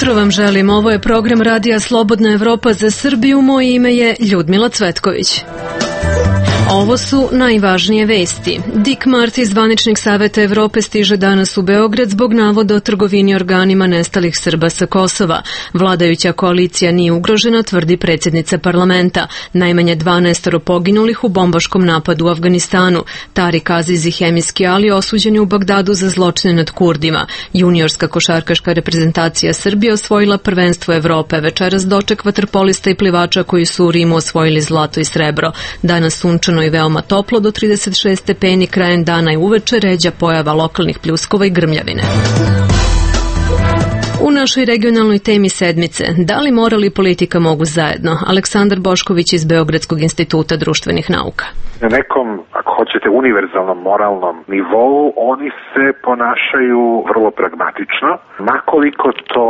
jutro vam želim. Ovo je program Radija Slobodna Evropa za Srbiju. Moje ime je Ljudmila Cvetković. Ovo su najvažnije vesti. Dick Marty, zvaničnik Saveta Evrope, stiže danas u Beograd zbog navoda o trgovini organima nestalih Srba sa Kosova. Vladajuća koalicija nije ugrožena, tvrdi predsjednica parlamenta. Najmanje 12 poginulih u bombaškom napadu u Afganistanu. Tarik Aziz i hemijski Ali osuđeni u Bagdadu za zločine nad Kurdima. Juniorska košarkaška reprezentacija Srbije osvojila prvenstvo Evrope. Večeras doček vaterpolista i plivača koji su u Rimu osvojili zlato i srebro. Danas sunčano i veoma toplo do 36 stepeni, krajem dana i uveče ređa pojava lokalnih pljuskova i grmljavine. U našoj regionalnoj temi sedmice, da li moral i politika mogu zajedno? Aleksandar Bošković iz Beogradskog instituta društvenih nauka. Na nekom, ako hoćete, univerzalnom moralnom nivou oni se ponašaju vrlo pragmatično, makoliko to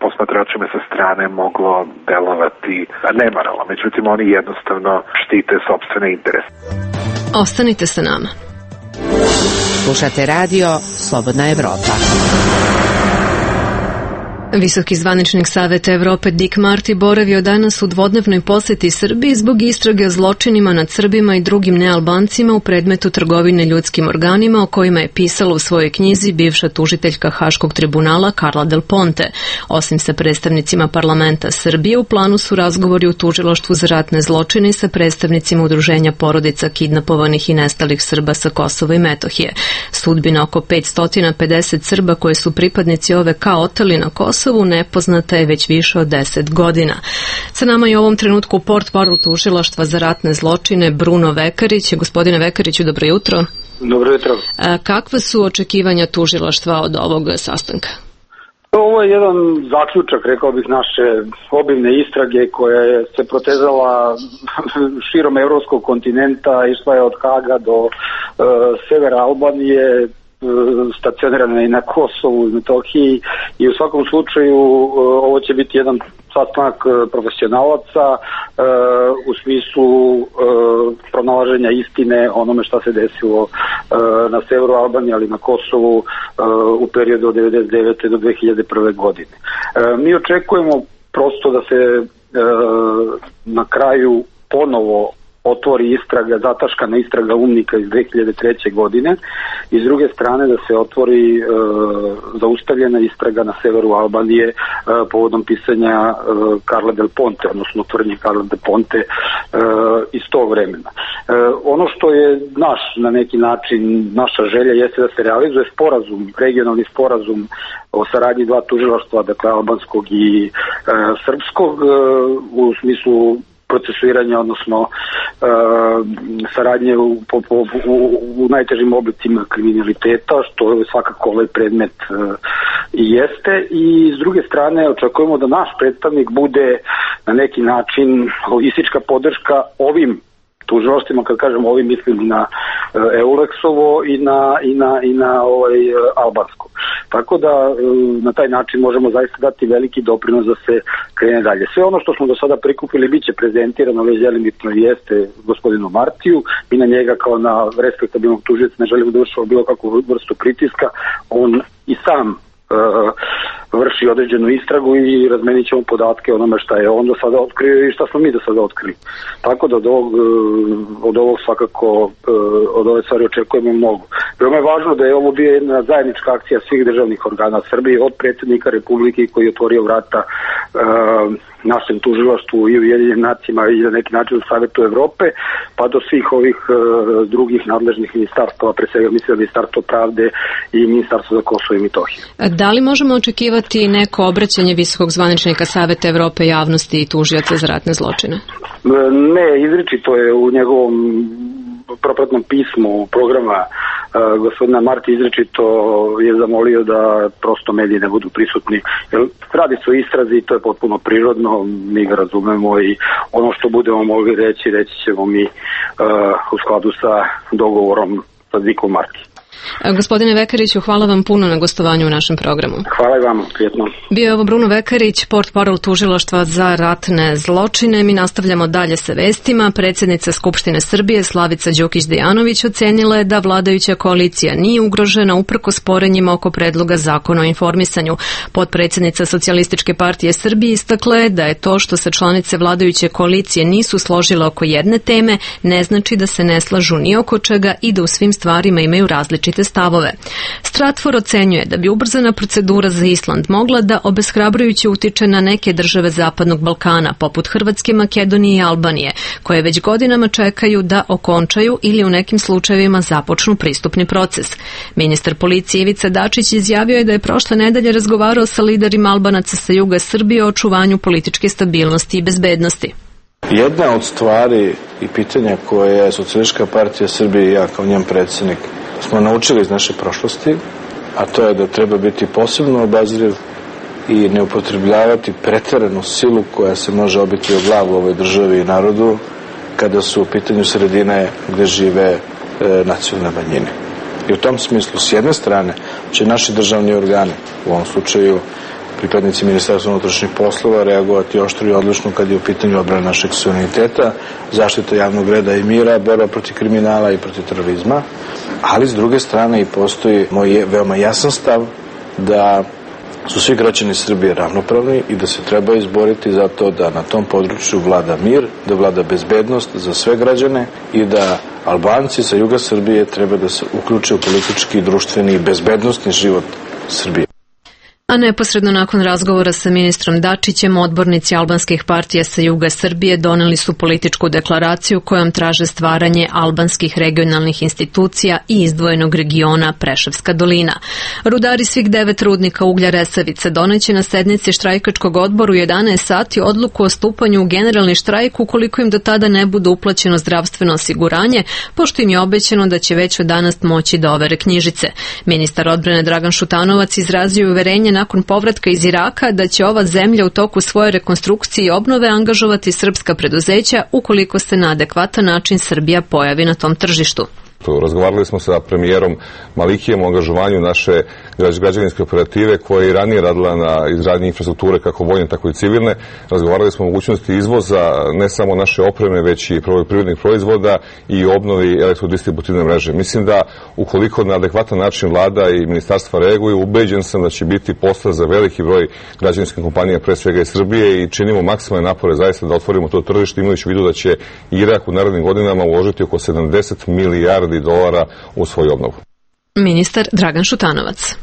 posmatračima sa strane moglo delovati nemoralno. Međutim, oni jednostavno štite sopstvene interese. Ostanite sa nama. Slušate radio Slobodna Evropa. Visoki zvaničnik Saveta Evrope Dick Marty boravio danas u dvodnevnoj poseti Srbiji zbog istrage o zločinima nad Srbima i drugim nealbancima u predmetu trgovine ljudskim organima o kojima je pisala u svojoj knjizi bivša tužiteljka Haškog tribunala Carla Del Ponte. Osim sa predstavnicima parlamenta Srbije, u planu su razgovori u tužilaštvu za ratne zločine i sa predstavnicima udruženja porodica kidnapovanih i nestalih Srba sa Kosova i Metohije. Sudbina oko 550 Srba koje su pripadnici OVK oteli na Kosovu nepoznata je već više od 10 godina. Sa nama je u ovom trenutku portparol tužilaštva za ratne zločine Bruno Vekarić. Gospodine Vekariću, dobro jutro. Dobro jutro. Kakva su očekivanja tužilaštva od ovog sastanka? Ovo je jedan zaključak, rekao bih, naše obimne istrage koja je se protezala širom evropskog kontinenta, išla je od Haga do severa Albanije, stacionirana i na Kosovu i Metohiji, i u svakom slučaju ovo će biti jedan sastanak profesionalaca u smislu pronalaženja istine onome šta se desilo na severu Albanije, ali na Kosovu u periodu od 1999. do 2001. godine. Mi očekujemo prosto da se na kraju ponovo otvori istraga, zataškana istraga UNMIK-a iz 2003. godine, i s druge strane da se otvori zaustavljena istraga na severu Albanije povodom pisanja Carla Del Ponte, odnosno tvrdnje Carla Del Ponte iz tog vremena. Ono što je na neki način naša želja jeste da se realizuje sporazum, regionalni sporazum o saradnji dva tužilaštva, dakle albanskog i srpskog, u smislu procesuiranja, odnosno saradnje u najtežim oblicima kriminaliteta, što je svakako ovaj predmet i jeste. I s druge strane očekujemo da naš predstavnik bude na neki način logistička podrška ovim tužilaštvima. Kad kažem ovim, mislim na Euleksovo i na albansko. Tako da na taj način možemo zaista dati veliki doprinos da se krene dalje. Sve ono što smo do sada prikupili biće prezentirano, već delimično jeste gospodinu Martiju. Mi na njega kao na respektabilnog tužioca ne želimo da vršimo bilo kakvu vrstu pritiska. On i sam vrši određenu istragu i razmenit ćemo podatke o onome šta je on do sada otkrio i šta smo mi do sada otkrili. Tako da od ovog svakako, od ove stvari očekujemo mnogo. Veoma je važno da je ovo bio jedna zajednička akcija svih državnih organa Srbije, od predsjednika Republike koji je otvorio vrata našem tužilaštvu i Ujedinjenim nacijama i na neki način u Savetu Evrope, pa do svih ovih drugih nadležnih ministarstava, pre svega mislim Ministarstvo pravde i Ministarstvo za Kosovo i Metohiju. Da li možemo očekivati neko obraćanje visokog zvaničnika Saveta Evrope javnosti i tužioca za ratne zločine? Ne, izričito je u njegovom propratnom pismu programa gospodina Marti izričito je zamolio da prosto mediji ne budu prisutni. Jer radi se o istrazi i to je potpuno prirodno, mi ga razumemo i ono što budemo mogli reći ćemo mi u skladu sa dogovorom sa Dickom Marti. Gospodine Vekariću, hvala vam puno na gostovanju u našem programu. Hvala i vama, prijetno. Bio je ovo Bruno Vekarić, portparol tužilaštva za ratne zločine. Mi nastavljamo dalje sa vestima. Predsjednica Skupštine Srbije Slavica Đukić-Dejanović ocenila je da vladajuća koalicija nije ugrožena uprkos sporenjima oko predloga zakona o informisanju. Potpredsjednica Socijalističke partije Srbije istakla je da je to što se članice vladajuće koalicije nisu složile oko jedne teme ne znači da se ne slažu ni oko čega i da u svim stvarima imaju različite stavove. Stratfor ocenjuje da bi ubrzana procedura za Island mogla da obeshrabrujuće utiče na neke države Zapadnog Balkana, poput Hrvatske, Makedonije i Albanije, koje već godinama čekaju da okončaju ili u nekim slučajevima započnu pristupni proces. Ministar policije Ivica Dačić izjavio je da je prošle nedelje razgovarao sa liderima Albanaca sa juga Srbije o očuvanju političke stabilnosti i bezbednosti. Jedna od stvari i pitanja koje je Socijalistička partija Srbije i ja kao njen predsjednik smo naučili iz naše prošlosti, a to je da treba biti posebno obazriv i ne upotrebljavati preteranu silu koja se može obiti o glavu ovoj državi i narodu kada su u pitanju sredine gde žive nacionalne manjine. I u tom smislu, s jedne strane, će naši državni organi, u ovom slučaju pripadnici Ministarstva unutrašnjih poslova, reagovati oštro i odlučno kad je u pitanju odbrana našeg suvereniteta, zaštita javnog reda i mira, borba protiv kriminala i protiv terorizma, ali s druge strane i postoji moj veoma jasan stav da su svi građani Srbije ravnopravni i da se treba izboriti za to da na tom području vlada mir, da vlada bezbednost za sve građane i da Albanci sa juga Srbije treba da se uključe u politički, društveni i bezbednostni život Srbije. A neposredno nakon razgovora sa ministrom Dačićem, odbornici albanskih partija sa juga Srbije doneli su političku deklaraciju kojom traže stvaranje albanskih regionalnih institucija i izdvojenog regiona Preševska dolina. Rudari svih 9 rudnika uglja Resavice doneće na sednici štrajkačkog odboru 11 sati odluku o stupanju u generalni štrajk ukoliko im do tada ne bude uplaćeno zdravstveno osiguranje, pošto im je obećano da će već od danas moći da overe knjižice. Ministar odbrane Dragan Šutanovac izrazio uverenje nakon povratka iz Iraka da će ova zemlja u toku svoje rekonstrukcije i obnove angažovati srpska preduzeća ukoliko se na adekvatan način Srbija pojavi na tom tržištu. Razgovarali smo sa premijerom Malikijem o angažovanju naše građevinske operative koja je i ranije radila na izgradnji infrastrukture kako vojne tako i civilne. Razgovarali smo o mogućnosti izvoza ne samo naše opreme već i poljoprivrednih proizvoda i obnovi elektrodistributivne mreže. Mislim da ukoliko na adekvatan način vlada i ministarstva reaguju, ubeđen sam da će biti posla za veliki broj građevinskih kompanija, pre svega iz Srbije, i činimo maksimalne napore zaista da otvorimo to tržište, imajući u vidu da će Irak u narednim godinama uložiti oko 70 milijardi dolara u svoju obnovu. Ministar Dragan Šutanovac.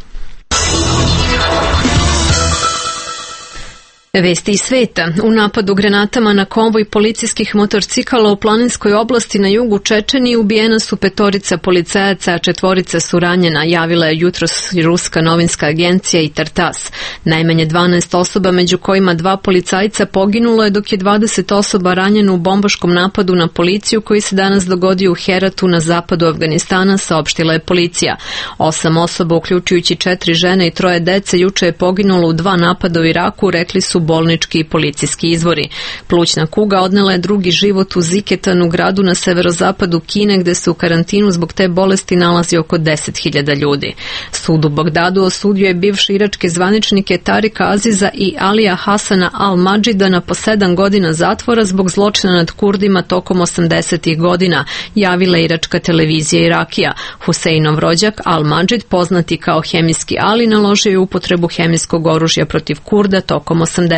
Vesti iz sveta. U napadu granatama na konvoj policijskih motorcikala u planinskoj oblasti na jugu Čečenije ubijena su 5 policajaca, a 4 su ranjena, javila je jutros ruska novinska agencija i Tartas. Najmanje 12 osoba, među kojima 2 policajca, poginulo je, dok je 20 osoba ranjeno u bombaškom napadu na policiju koji se danas dogodio u Heratu na zapadu Afganistana, saopštila je policija. 8 osoba, uključujući 4 žene i 3 dece, juče je poginulo u 2 napada u Iraku, rekli su bolnički i policijski izvori. Plućna kuga odnela je drugi život u Ziketanu, gradu na severozapadu Kine, gde se u karantinu zbog te bolesti nalazi oko 10.000 ljudi. Sud u Bagdadu osudio je bivše iračke zvaničnike Tarika Aziza i Alija Hasana al-Madžida na po 7 godina zatvora zbog zločina nad Kurdima tokom 80. godina, javila iračka televizija Irakija. Huseinov rođak al-Madžid, poznati kao Hemijski Ali, naložio je upotrebu hemijskog oružja protiv Kurda tokom 80.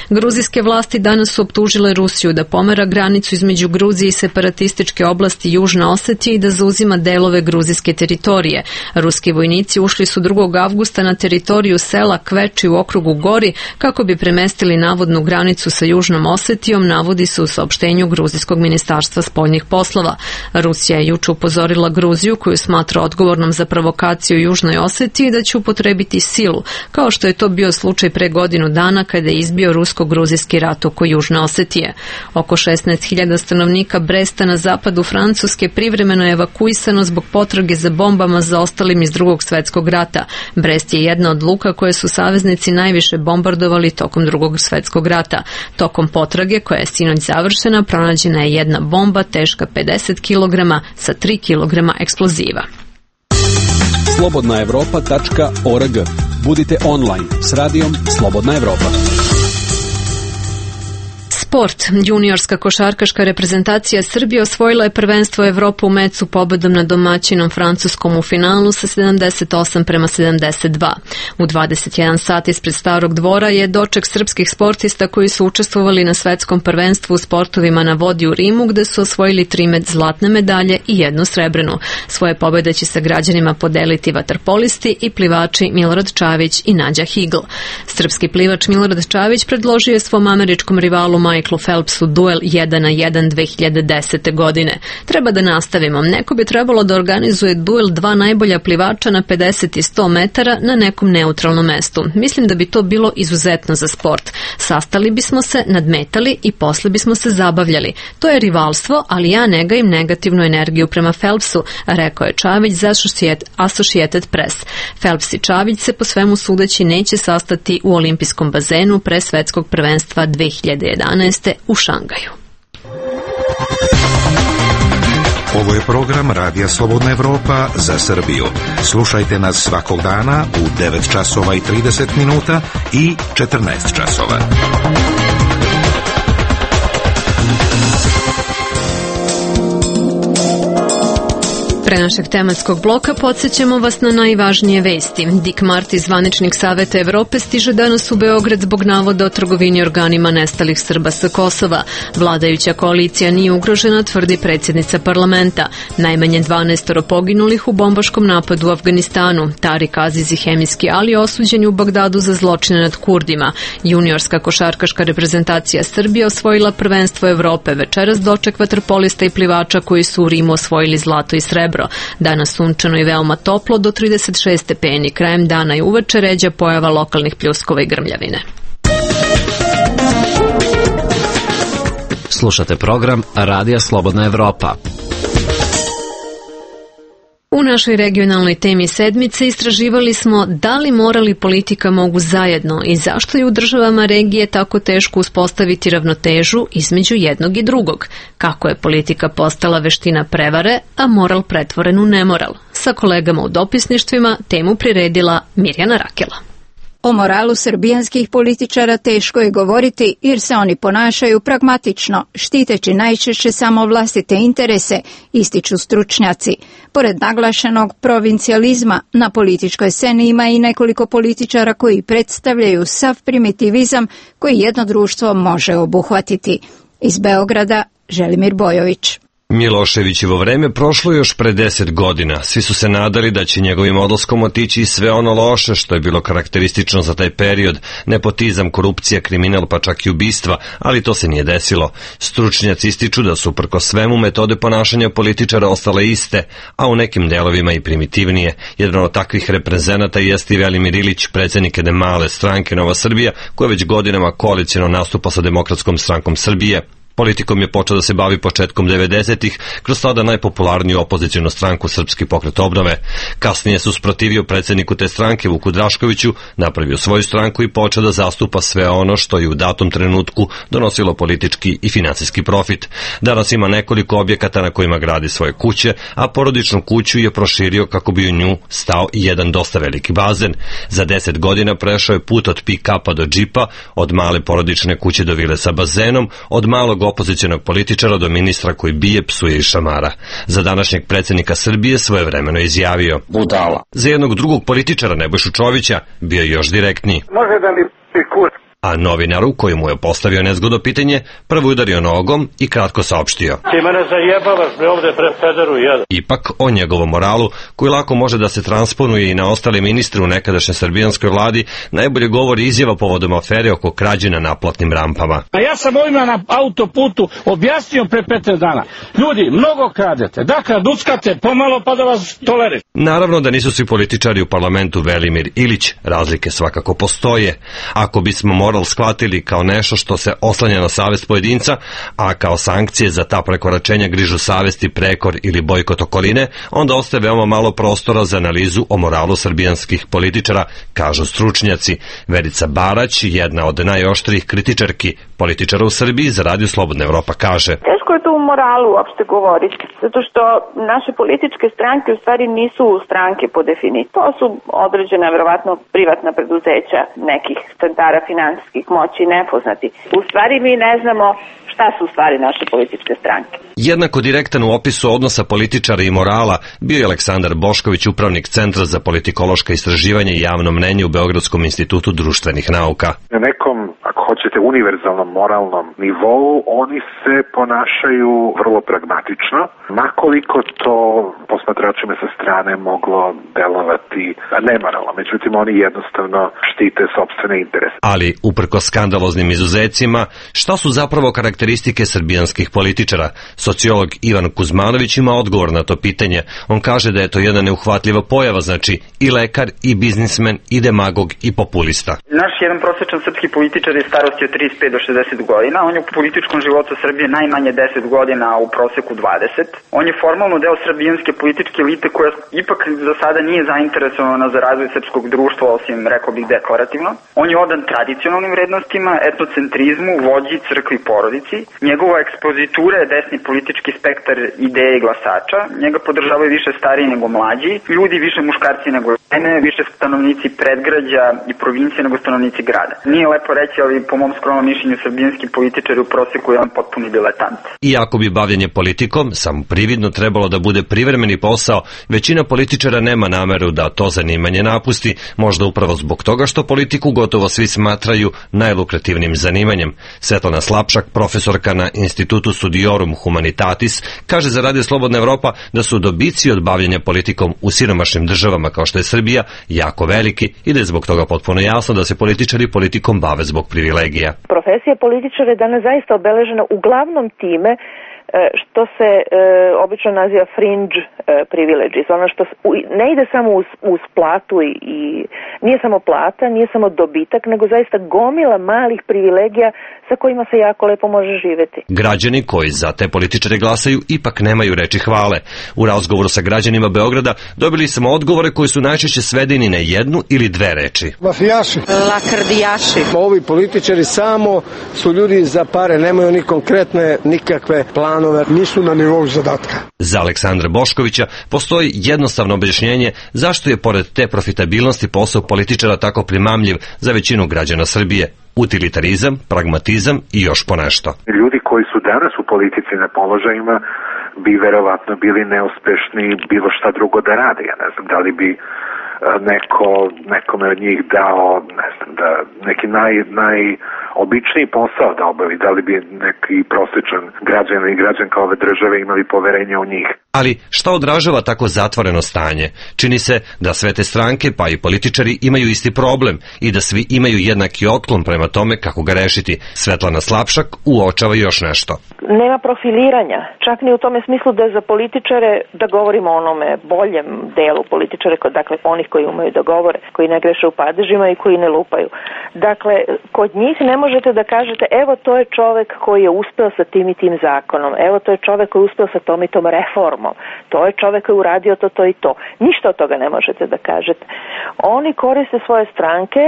Gruzijske vlasti danas su optužile Rusiju da pomera granicu između Gruzije i separatističke oblasti Južna Osetija i da zauzima delove gruzijske teritorije. Ruski vojnici ušli su 2. avgusta na teritoriju sela Kveči u okrugu Gori kako bi premestili navodnu granicu sa Južnom Osetijom, navodi se u saopštenju Gruzijskog ministarstva spoljnih poslova. Rusija je juče upozorila Gruziju, koju smatra odgovornom za provokaciju u Južnoj Osetiji, da će upotrebiti silu, kao što je to bio slučaj pre godinu dana kada je izbio rusko-gruzijski rat oko Južne Osetije. Oko 16.000 stanovnika Bresta na zapadu Francuske privremeno je evakuisano zbog potrage za bombama zaostalim iz Drugog svjetskog rata. Brest je jedna od luka koje su saveznici najviše bombardovali tokom Drugog svjetskog rata. Tokom potrage, koja je sinoć završena, pronađena je jedna bomba teška 50 kg sa 3 kg eksploziva. slobodnaevropa.org. Budite online s radijom Slobodna Evropa. Sport. Juniorska košarkaška reprezentacija Srbije osvojila je prvenstvo Evrope u mecu pobedom nad domaćinom Francuskom u finalu sa 78-72. U 21 sat ispred Starog dvora je doček srpskih sportista koji su učestvovali na svetskom prvenstvu u sportovima na vodi u Rimu, gde su osvojili 3 zlatne medalje i 1 srebrnu. Svoje pobede će sa građanima podeliti vaterpolisti i plivači Milorad Čavić i Nađa Higl. Srpski plivač Milorad Čavić predložio je svom američkom rivalu Michaelu Phelpsu duel 1-1 2010. godine. Treba da nastavimo. Neko bi trebalo da organizuje duel 2 najbolja plivača na 50 i 100 metara na nekom neutralnom mestu. Mislim da bi to bilo izuzetno za sport. Sastali bismo se, nadmetali i posle bismo se zabavljali. To je rivalstvo, ali ja ne gajim negativnu energiju prema Phelpsu, rekao je Čavić za Associated Press. Phelps i Čavić se po svemu sudeći neće sastati u olimpijskom bazenu pre svetskog prvenstva 2011. u Šangaju. Ovo je program Radija Slobodna Evropa za Srbiju. Slušajte nas svakog dana u 9 časova i 30 minuta i 14 časova. Pre našeg tematskog bloka podsjećamo vas na najvažnije vesti. Dick Marty, zvaničnik Saveta Evrope, stiže danas u Beograd zbog navoda o trgovini organima nestalih Srba sa Kosova. Vladajuća koalicija nije ugrožena, tvrdi predsjednica parlamenta. Najmanje 12 poginulih u bombaškom napadu u Afganistanu. Tarik Aziz i Hemijski Ali osuđeni u Bagdadu za zločine nad Kurdima. Juniorska košarkaška reprezentacija Srbije osvojila prvenstvo Evrope. Večeras doček vaterpolista i plivača koji su u Rimu osvojili zlato i srebro. Danas sunčano i veoma toplo do 36 stepeni. Krajem dana i uveče ređa pojava lokalnih pljuskova i grmljavine. Slušate program Radija Slobodna Evropa. U našoj regionalnoj temi sedmice istraživali smo da li moral i politika mogu zajedno i zašto je u državama regije tako teško uspostaviti ravnotežu između jednog i drugog. Kako je politika postala veština prevare, a moral pretvoren u nemoral. Sa kolegama u dopisništvima temu priredila Mirjana Rakela. O moralu srbijanskih političara teško je govoriti jer se oni ponašaju pragmatično, štiteći najčešće samo vlastite interese, ističu stručnjaci. Pored naglašenog provincijalizma, na političkoj sceni ima i nekoliko političara koji predstavljaju sav primitivizam koji jedno društvo može obuhvatiti. Iz Beograda, Želimir Bojović. Miloševićevo vreme prošlo još pre 10 godina. Svi su se nadali da će njegovim odlaskom otići sve ono loše što je bilo karakteristično za taj period, nepotizam, korupcija, kriminal pa čak i ubistva, ali to se nije desilo. Stručnjaci ističu da su uprkos svemu metode ponašanja političara ostale iste, a u nekim delovima i primitivnije. Jedan od takvih reprezenata jeste i Velimir Ilić, predsjednik jedne male stranke Nova Srbija, koja već godinama koaliciono nastupa sa Demokratskom strankom Srbije. Politikom je počeo da se bavi početkom 90-ih kroz tada najpopularniju opozicijnu stranku Srpski pokret obnove. Kasnije se usprotivio predsjedniku te stranke Vuku Draškoviću, napravio svoju stranku i počeo da zastupa sve ono što je u datom trenutku donosilo politički i finansijski profit. Danas ima nekoliko objekata na kojima gradi svoje kuće, a porodičnu kuću je proširio kako bi u nju stao i jedan dosta veliki bazen. Za 10 godina prešao je put od pick-upa do džipa, od male porodične kuće do vile sa bazenom, od malog opozicionog političara do ministra koji bije, psuje i šamara. Za današnjeg predsjednika Srbije svojevremeno izjavio: budala. Za jednog drugog političara, Nebojšu Čovića, bio je još direktniji. Može da mi kur. A novinaru, koji mu je postavio nezgodno pitanje, prvo udario nogom i kratko saopštio: ti mene zajebavaš me ovde pred pederu jedan. Ipak, o njegovom moralu, koji lako može da se transponuje i na ostale ministre u nekadašnjoj srbijanskoj vladi, najbolje govori izjava povodom afere oko krađe na naplatnim rampama. A ja sam ovima na autoputu objasnio pre 15 dana. Ljudi, mnogo kradete. Dakle, duckate pomalo pa da vas toleriš. Naravno da nisu svi političari u parlamentu Velimir Ilić. Razlike svakako postoje. Ako bismo moral shvatili kao nešto što se oslanja na savest pojedinca, a kao sankcije za ta prekoračenja grižu savesti, prekor ili bojkot okoline, onda ostaje veoma malo prostora za analizu o moralu srbijanskih političara, kažu stručnjaci. Verica Barać, jedna od najoštrijih kritičarki političara u Srbiji, za Radio Slobodna Evropa kaže: teško teško je to u moralu uopšte govoriti, zato što naše političke stranke u stvari nisu stranke po definiciji. To su određena, verovatno, privatna preduzeća nekih centara finansijskih moći nepoznati. U stvari mi ne znamo šta su u stvari naše političke stranke. Jednako direktan u opisu odnosa političara i morala bio je Aleksandar Bošković, upravnik Centra za politikološka istraživanja i javno mnenje u Beogradskom institutu društvenih nauka. Na nekom, ako hoćete, univerzalnom moralnom nivou oni se ponašaju vrlo pragmatično, makoliko to posmatračima sa strane moglo delovati nemoralno. Međutim, oni jednostavno štite sopstvene interese. Ali, uprkos skandaloznim izuzecima, šta su zapravo karakteristike srbijanskih političara? Sociolog Ivan Kuzmanović ima odgovor na to pitanje. On kaže da je to jedna neuhvatljiva pojava, znači i lekar, i biznismen, i demagog, i populista. Naš jedan prosječan srpski političar je starosti od 35 do 60 godina. On je u političkom životu Srbije najmanje 10 godina, a u proseku 20. On je formalno deo srbijanske političke elite koja ipak za sada nije zainteresovana za razvoj srpskog društva, osim, rekao bih, deklarativno. On je odan tradicionalnim vrednostima, etnocentrizmu, vođi, crkvi, porodici. Njegova ekspozitura je desni politički spektar ideje i glasača. Njega podržavaju više stariji nego mlađi, ljudi više muškarci nego žene, više stanovnici predgrađa i provincije nego stanovnici grada. Nije lepo reći, ali po mom skromnom mišljenju srbijanski političari u proseku je on potpuni diletant. Iako bi bavljenje politikom samo prividno trebalo da bude privremeni posao, većina političara nema nameru da to zanimanje napusti, možda upravo zbog toga što politiku gotovo svi smatraju najlukrativnim zanimanjem. Svetlana Slapšak, profesorka na Institutu Studiorum Humanitatis, kaže za Radio Slobodna Evropa da su dobici od bavljenja politikom u siromašnim državama kao što je Srbija jako veliki i da je zbog toga potpuno jasno da se političari politikom bave zbog privilegija. Profesija političara je danas zaista obeležena uglavnom time što se obično naziva fringe privileges, ono što ne ide samo uz platu i nije samo plata, nije samo dobitak, nego zaista gomila malih privilegija sa kojima se jako lepo može živeti. Građani koji za te političare glasaju ipak nemaju reči hvale. U razgovoru sa građanima Beograda dobili smo odgovore koji su najčešće svedeni na jednu ili dve reči. Mafijaši. Lakrdijaši. Ovi političari samo su ljudi za pare, nemaju ni konkretne nikakve planove, nisu na nivou zadatka. Za Aleksandra Boškovića postoji jednostavno objašnjenje zašto je pored te profitabilnosti posao političara tako primamljiv za većinu građana Srbije. Utilitarizam, pragmatizam i još ponešto. Ljudi koji su danas u politici na položajima bi verovatno bili neuspešni bilo šta drugo da rade. Ja ne znam da li bi nekome od njih dao, ne znam, da neki najobičniji posao da obavi, da li bi neki prosječan građan ili građanka ove države imali poverenja u njih. Ali šta odražava tako zatvoreno stanje? Čini se da sve te stranke, pa i političari, imaju isti problem i da svi imaju jednaki otklon prema tome kako ga rešiti. Svetlana Slapšak uočava još nešto. Nema profiliranja, čak ni u tome smislu da za političare, da govorimo o onome boljem delu političare, dakle onih koji umeju da govore, koji ne greše u padežima i koji ne lupaju. Dakle, kod njih ne možete da kažete, evo to je čovek koji je uspeo sa tim i tim zakonom, evo to je čovek koji je uspeo sa tom i tom reformom, to je čovek koji je uradio to i to. Ništa od toga ne možete da kažete. Oni koriste svoje stranke,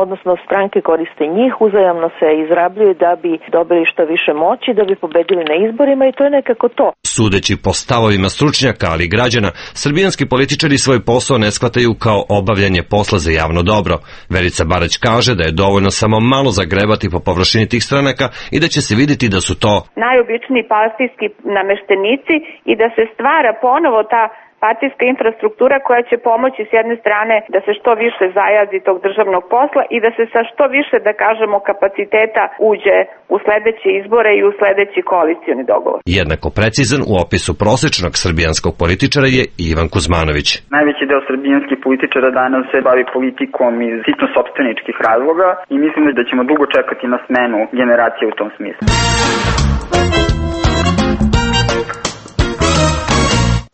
odnosno stranke koriste njih, uzajamno se izrabljuju da bi dobili što više moći, da bi pobedili na izborima i to je nekako to. Sudeći po stavovima stručnjaka, ali i građana, srbijanski političari svoj posao ne shvataju kao obavljanje posla za javno dobro. Verica Barać kaže da je dovoljno samo malo zagrebati po površini tih stranaka i da će se vidjeti da su to najobičniji partijski nameštenici i da se stvara ponovo ta partijska infrastruktura koja će pomoći s jedne strane da se što više zajazi tog državnog posla i da se sa što više, da kažemo, kapaciteta uđe u sledeće izbore i u sledeći koalicioni dogovor. Jednako precizan u opisu prosečnog srbijanskog političara je Ivan Kuzmanović. Najveći deo srbijanskih političara danas se bavi politikom iz sitno sopstveničkih razloga i mislim da ćemo dugo čekati na smenu generacije u tom smislu.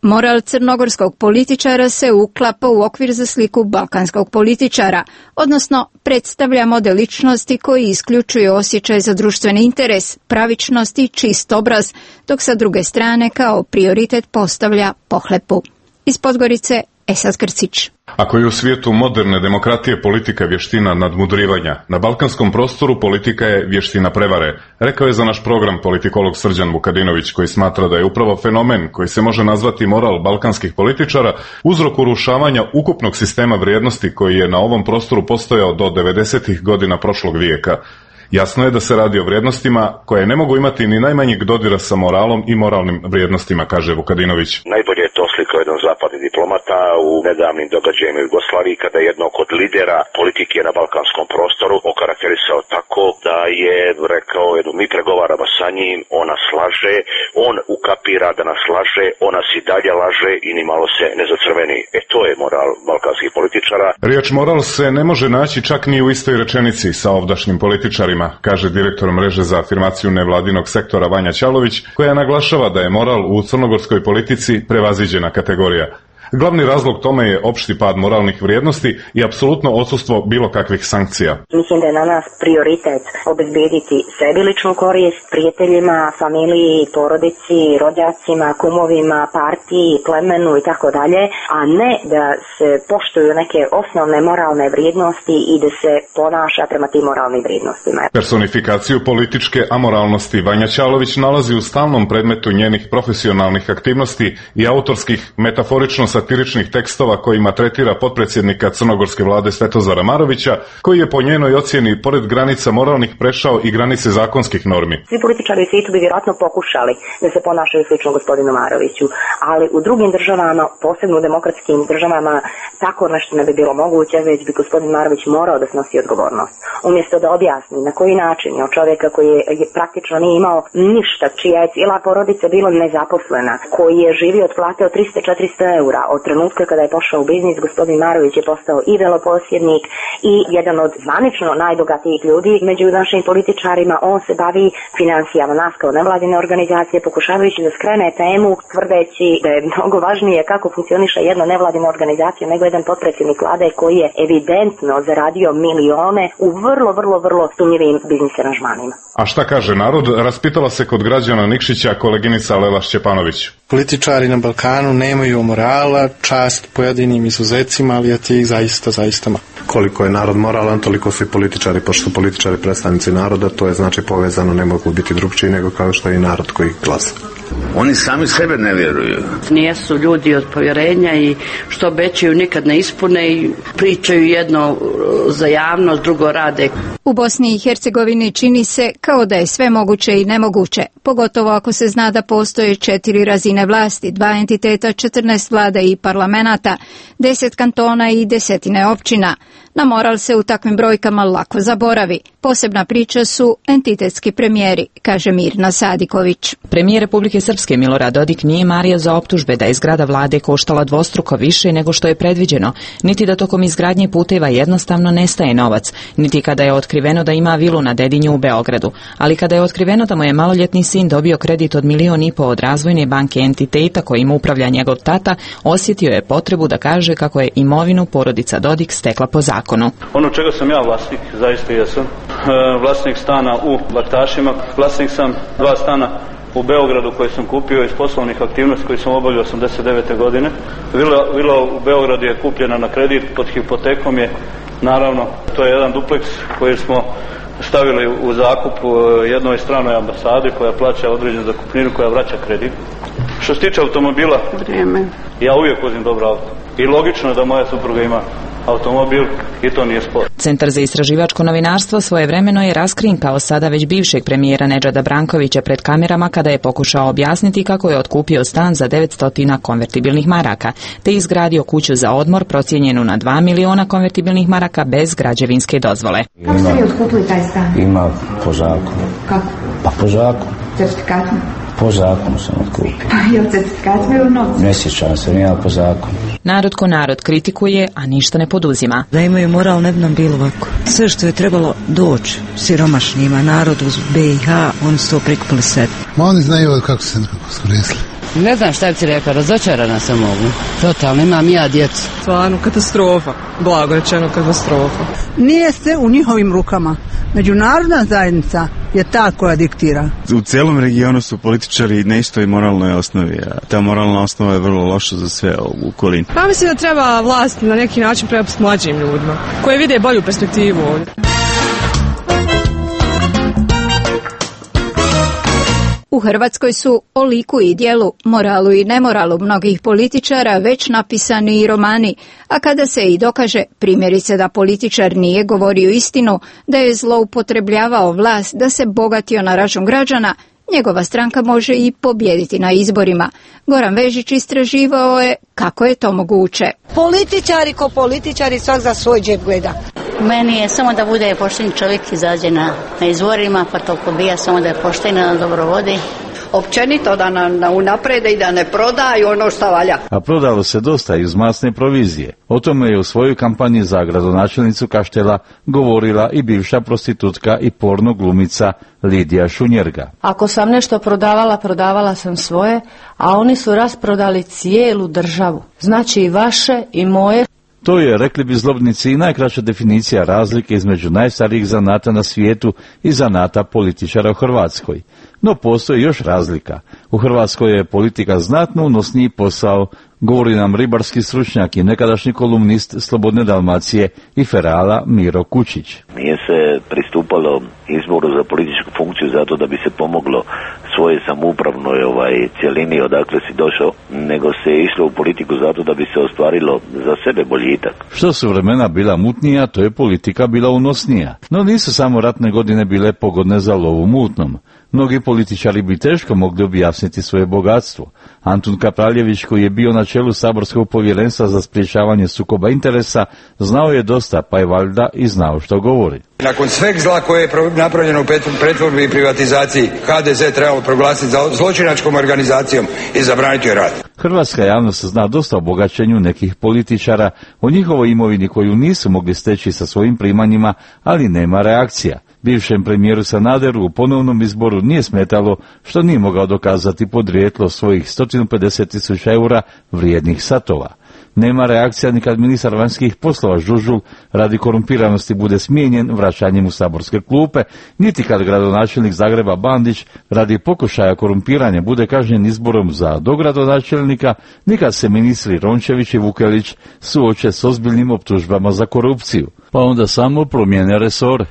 Moral crnogorskog političara se uklapa u okvir za sliku balkanskog političara, odnosno predstavlja model ličnosti koji isključuje osjećaj za društveni interes, pravičnost i čist obraz, dok sa druge strane kao prioritet postavlja pohlepu. Iz Podgorice, Esad Krcić. Ako je u svijetu moderne demokratije politika vještina nadmudrivanja, na balkanskom prostoru politika je vještina prevare, rekao je za naš program politikolog Srđan Vukadinović, koji smatra da je upravo fenomen koji se može nazvati moral balkanskih političara uzrok urušavanja ukupnog sistema vrijednosti koji je na ovom prostoru postojao do 90. godina prošlog vijeka. Jasno je da se radi o vrijednostima koje ne mogu imati ni najmanjeg dodira sa moralom i moralnim vrijednostima, kaže Vukadinović. Najbolje je to slikao jedan zapadni diplomata u nedavnim događajima u Jugoslaviji, kada je jednog od lidera politike na balkanskom prostoru okarakterisao tako da je rekao, mi pregovaramo sa njim, ona slaže, on ukapira da nas laže, ona si dalje laže i ni malo se ne zacrveni. To je moral balkanskih političara. Riječ moral se ne može naći čak ni u istoj rečenici sa ovdašnjim političarima, kaže direktor mreže za afirmaciju nevladinog sektora Vanja Ćalović, koja naglašava da je moral u crnogorskoj politici prevaziđena kategorija. Glavni razlog tome je opšti pad moralnih vrijednosti i apsolutno odsustvo bilo kakvih sankcija. Mislim da je na nas prioritet obezbediti sebi ličnu korist, prijateljima, familiji, porodici, rođacima, kumovima, partiji, plemenu i tako dalje, a ne da se poštuju neke osnovne moralne vrijednosti i da se ponaša prema tim moralnim vrijednostima. Personifikaciju političke amoralnosti Vanja Ćalović nalazi u stalnom predmetu njenih profesionalnih aktivnosti i autorskih metaforično satiričnih tekstova kojima tretira potpredsjednika crnogorske vlade Svetozara Marovića, koji je po njenoj ocjeni pored granica moralnih prešao i granice zakonskih normi. Svi političari u svijetu bi vjerojatno pokušali da se ponašaju slično gospodinu Maroviću, ali u drugim državama, posebno u demokratskim državama, tako nešto ne bi bilo moguće, već bi gospodin Marović morao da snosi odgovornost. Umjesto da objasni na koji način je od čovjeka koji je praktično nije imao ništa, čija je cijela porodica bila nezaposlena, koji je živio od plate od 300-400 eura, od trenutka kada je pošao u biznis, gospodin Marović je postao i veloposjednik i jedan od zvanično najbogatijih ljudi među našim političarima. On se bavi financijama, nas kao nevladine organizacije, pokušavajući da skrene temu, tvrdeći da je mnogo važnije kako funkcioniše jedna nevladina organizacija nego jedan potpredsjednik vlade koji je evidentno zaradio milione u vrlo sumnjivim biznis aranžmanima. A šta kaže narod? Raspitala se kod građana Nikšića koleginica Lela Šćepanović. Političari na Balkanu nemaju morala, čast pojedinim izuzecima, ali je tih zaista malo. Koliko je narod moralan, toliko su i političari, pošto su političari predstavnici naroda, to je znači povezano, ne mogu biti drugčiji nego kao što je i narod koji glasa. Oni sami sebe ne vjeruju. Nijesu ljudi od povjerenja i što obećaju nikad ne ispune i pričaju jedno za javnost, drugo rade. U Bosni i Hercegovini čini se kao da je sve moguće i nemoguće, pogotovo ako se zna da postoje 4 razine vlasti, 2 entiteta, 14 vlada i parlamenata, 10 kantona i 10 općina. Na moral se u takvim brojkama lako zaboravi. Posebna priča su entitetski premijeri, kaže Mirna Sadiković. Premijer Republike Srpske Milorad Dodik nije mario za optužbe da je zgrada vlade koštala dvostruko više nego što je predviđeno, niti da tokom izgradnje puteva jednostavno nestaje novac, niti kada je otkriveno da ima vilu na Dedinju u Beogradu. Ali kada je otkriveno da mu je maloljetni sin dobio kredit od 1,5 miliona od razvojne banke entiteta kojim upravlja njegov tata, osjetio je potrebu da kaže kako je imovinu porodica Dodik stekla po zakonu. Ono čega sam ja vlasnik, zaista jesam. Vlasnik stana u Baktašima, vlasnik sam 2 stana u Beogradu koje sam kupio iz poslovnih aktivnosti koje sam obavljao 89. godine. Vila u Beogradu je kupljena na kredit, pod hipotekom je, naravno, to je jedan dupleks koji smo stavili u zakup jednoj stranoj ambasadi koja plaća određenu zakupninu koja vraća kredit. Što se tiče automobila, ja uvijek vozim dobro auto. I logično je da moja supruga ima automobil i to nije spor. Centar za istraživačko novinarstvo svojevremeno je raskrinkao sada već bivšeg premijera Nedžada Brankovića pred kamerama kada je pokušao objasniti kako je otkupio stan za 900 konvertibilnih maraka, te izgradio kuću za odmor procijenjenu na 2 miliona konvertibilnih maraka bez građevinske dozvole. Kako ste vi otkupili taj stan? Ima po zakonu. Kako? Pa po zakonu. Certifikatom? Po zakonu sam otkupio. Pa je li certifikat bio u novcu? Ne sjećam se, nije po zakonu. Narod ko narod kritikuje, a ništa ne poduzima. Da imaju moral ne bi nam bilo ovako. Sve što je trebalo doći siromašnjima, narodu uz BiH, oni su to prikupili sve. Ma oni znaju kako se skoristili. Ne znam šta bi ti rekao, razočarana sam mogu. Totalno, imam ja djecu. Stvarno, katastrofa. Blago rečeno katastrofa. Nije se u njihovim rukama Međunarodna zajednica je ta koja diktira. U cijelom regionu su političari na istoj moralnoj osnovi, a ta moralna osnova je vrlo loša za sve u okolini. Pa mislim da treba vlast na neki način prepustiti mlađim ljudima, koji vide bolju perspektivu ovdje. U Hrvatskoj su o liku i djelu, moralu i nemoralu mnogih političara već napisani i romani, a kada se i dokaže, primjerice da političar nije govorio istinu, da je zloupotrebljavao vlast, da se bogatio na račun građana, njegova stranka može i pobijediti na izborima. Goran Vežić istraživao je kako je to moguće. Političari ko političari svak za svoj džep gleda. Meni je samo da bude pošten čovjek, izađe na izborima, pa to pobija, samo da je pošten, da dobro vodi. Općenito da nam unaprede i da ne prodaju ono što valja. A prodalo se dosta iz masne provizije. O tome je u svojoj kampanji za gradonačelnicu Kaštela govorila i bivša prostitutka i porno glumica Lidija Šunjerga. Ako sam nešto prodavala, prodavala sam svoje, a oni su rasprodali cijelu državu. Znači i vaše i moje. To je, rekli bi zlobnici, i najkraća definicija razlike između najstarijih zanata na svijetu i zanata političara u Hrvatskoj. No postoji još razlika. U Hrvatskoj je politika znatno unosniji posao, govori nam ribarski stručnjak i nekadašnji kolumnist Slobodne Dalmacije i Ferala Miro Kučić. Nije se pristupalo izboru za političku funkciju zato da bi se pomoglo svoje samoupravnoj cjelini odakle si došao, nego se išlo u politiku zato da bi se ostvarilo za sebe boljitak. Što su vremena bila mutnija, to je politika bila unosnija. No nisu samo ratne godine bile pogodne za lovu mutnom. Mnogi političari bi teško mogli objasniti svoje bogatstvo. Antun Kapraljević, koji je bio na čelu saborskog povjerenstva za sprječavanje sukoba interesa, znao je dosta, pa je valjda i znao što govori. Nakon sveg zla koje je napravljeno u pretvorbi i privatizaciji, HDZ trebalo proglasiti zločinačkom organizacijom i zabraniti joj rad. Hrvatska javnost zna dosta o bogaćenju nekih političara, o njihovoj imovini koju nisu mogli steći sa svojim primanjima, ali nema reakcija. Bivšem premijeru Sanaderu u ponovnom izboru nije smetalo što nije mogao dokazati podrijetlo svojih 150.000 eura vrijednih satova. Nema reakcija ni kad ministar vanjskih poslova Žužul radi korumpiranosti bude smijenjen vraćanjem u saborske klupe, niti kad gradonačelnik Zagreba Bandić radi pokušaja korumpiranja bude kažnjen izborom za dogradonačelnika, ni kad se ministri Rončević i Vukelić suoče s ozbiljnim optužbama za korupciju. Pa onda samo promijene resore.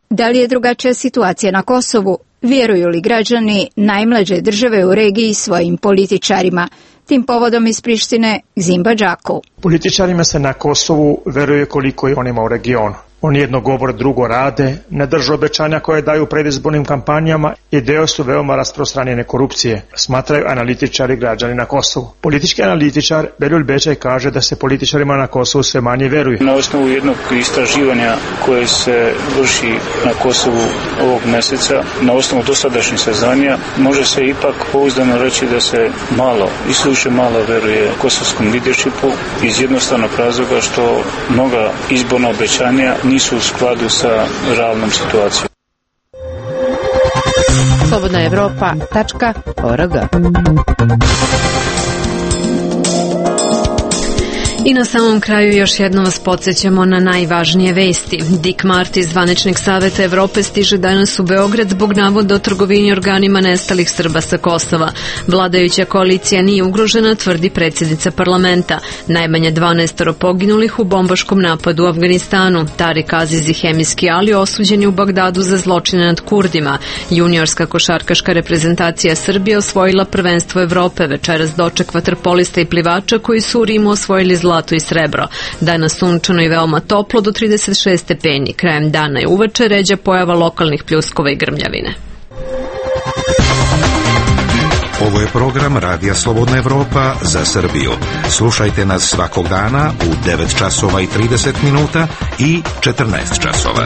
Da li je drugačija situacija na Kosovu? Vjeruju li građani najmlađe države u regiji svojim političarima? Tim povodom iz Prištine Zimba Đako. Političarima se na Kosovu veruje koliko i onima u regionu. Oni jedno govore, drugo rade, ne drže obećanja koje daju u predizbornim kampanjama i deo su veoma rasprostranjene korupcije, smatraju analitičari građani na Kosovu. Politički analitičar Beljul Bečaj kaže da se političarima na Kosovu sve manje veruje. Na osnovu jednog istraživanja koje se vrši na Kosovu ovog mjeseca, na osnovu dosadašnjih saznanja, može se ipak pouzdano reći da se malo, isključivo malo veruje kosovskom leadershipu iz jednostavnog razloga što mnoga izborna obećanja nisu u skladu sa realnom situacijom. Slobodnaevropa.org. I na samom kraju još jednom vas podsjećamo na najvažnije vesti. Dick Marty iz Zvaničnog saveta Evrope stiže danas u Beograd zbog navoda o trgovini organima nestalih Srba sa Kosova. Vladajuća koalicija nije ugrožena, tvrdi predsjednica parlamenta. Najmanje 12 poginulih u bombaškom napadu u Afganistanu. Tarik Aziz i Hemijski Ali osuđeni u Bagdadu za zločine nad Kurdima. Juniorska košarkaška reprezentacija Srbije osvojila prvenstvo Evrope. Večeras doček vaterpolista i plivača koji su u Rimu osvojili zlato i srebro. Danas sunčano i veoma toplo do 36 stepeni. Krajem dana i uveče ređa pojava lokalnih pljuskova i grmljavine. Ovo je program Radija Slobodna Evropa za Srbiju. Slušajte nas svakog dana u 9 časova i 30 minuta i 14 časova.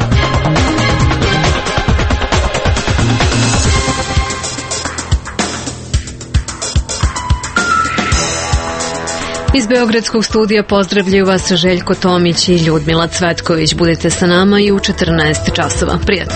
Iz Beogradskog studija pozdravljaju vas Željko Tomić i Ljudmila Cvetković. Budite sa nama i u 14 časova. Prijatno.